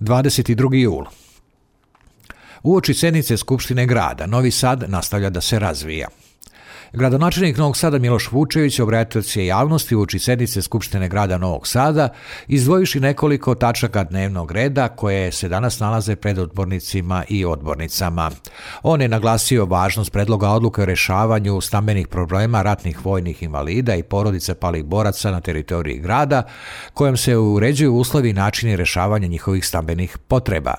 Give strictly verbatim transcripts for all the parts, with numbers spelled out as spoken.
dvadeset drugi jul. Uoči sjednice Skupštine grada, Novi Sad nastavlja da se razvija. Gradonačelnik Novog Sada Miloš Vučević obratio se javnosti uoči sjednice Skupštine grada Novog Sada, izdvojivši nekoliko tačaka dnevnog reda koje se danas nalaze pred odbornicima i odbornicama. On je naglasio važnost predloga odluke o rješavanju stambenih problema ratnih vojnih invalida i porodice palih boraca na teritoriji grada, kojom se uređuju uslovi i načini rješavanja njihovih stambenih potreba.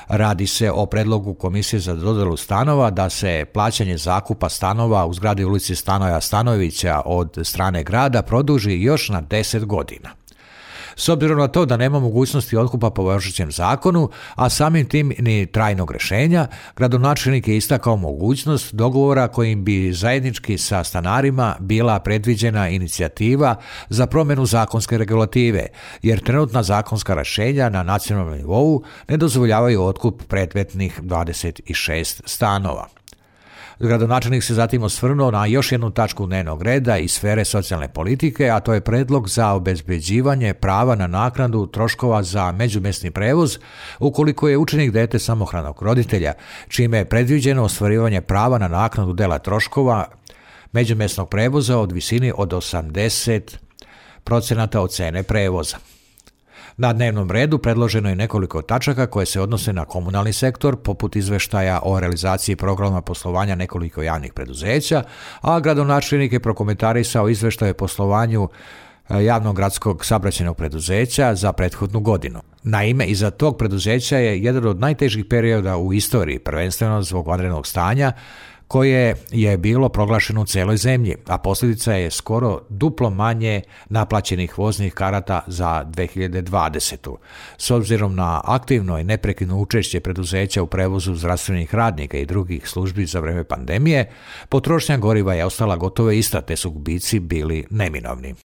Radi se o predlogu Komisije za dodjelu stanova da se plaćanje zakupa stanova u zgradi ulici Stanoja Stanojevića od strane grada produži još na deset godina. S obzirom na to da nema mogućnosti otkupa po važećem zakonu, a samim tim ni trajnog rješenja, gradonačelnik je istakao mogućnost dogovora kojim bi zajednički sa stanarima bila predviđena inicijativa za promjenu zakonske regulative, jer trenutna zakonska rješenja na nacionalnom nivou ne dozvoljavaju otkup predmetnih dvadeset šest stanova. Gradonačelnik se zatim osvrnuo na još jednu tačku dnevnog reda iz sfere socijalne politike, a to je predlog za obezbeđivanje prava na naknadu troškova za međumjesni prevoz ukoliko je učenik dijete samohranog roditelja, čime je predviđeno ostvarivanje prava na naknadu dela troškova međumjesnog prevoza od visini od osamdeset procenata od cene prevoza. Na dnevnom redu predloženo je nekoliko tačaka koje se odnose na komunalni sektor, poput izveštaja o realizaciji programa poslovanja nekoliko javnih preduzeća, a gradonačelnik je prokomentarisao izveštaje o poslovanju javnog gradskog saobraćajnog preduzeća za prethodnu godinu. Naime, iza tog preduzeća je jedan od najtežih perioda u istoriji, prvenstveno zbog vanrednog stanja, koje je bilo proglašeno u celoj zemlji, a posljedica je skoro duplo manje naplaćenih voznih karata za dve hiljade dvadesetu. S obzirom na aktivno i neprekidno učešće preduzeća u prevozu zdravstvenih radnika i drugih službi za vrijeme pandemije, potrošnja goriva je ostala gotovo ista, te su gubici bili neminovni.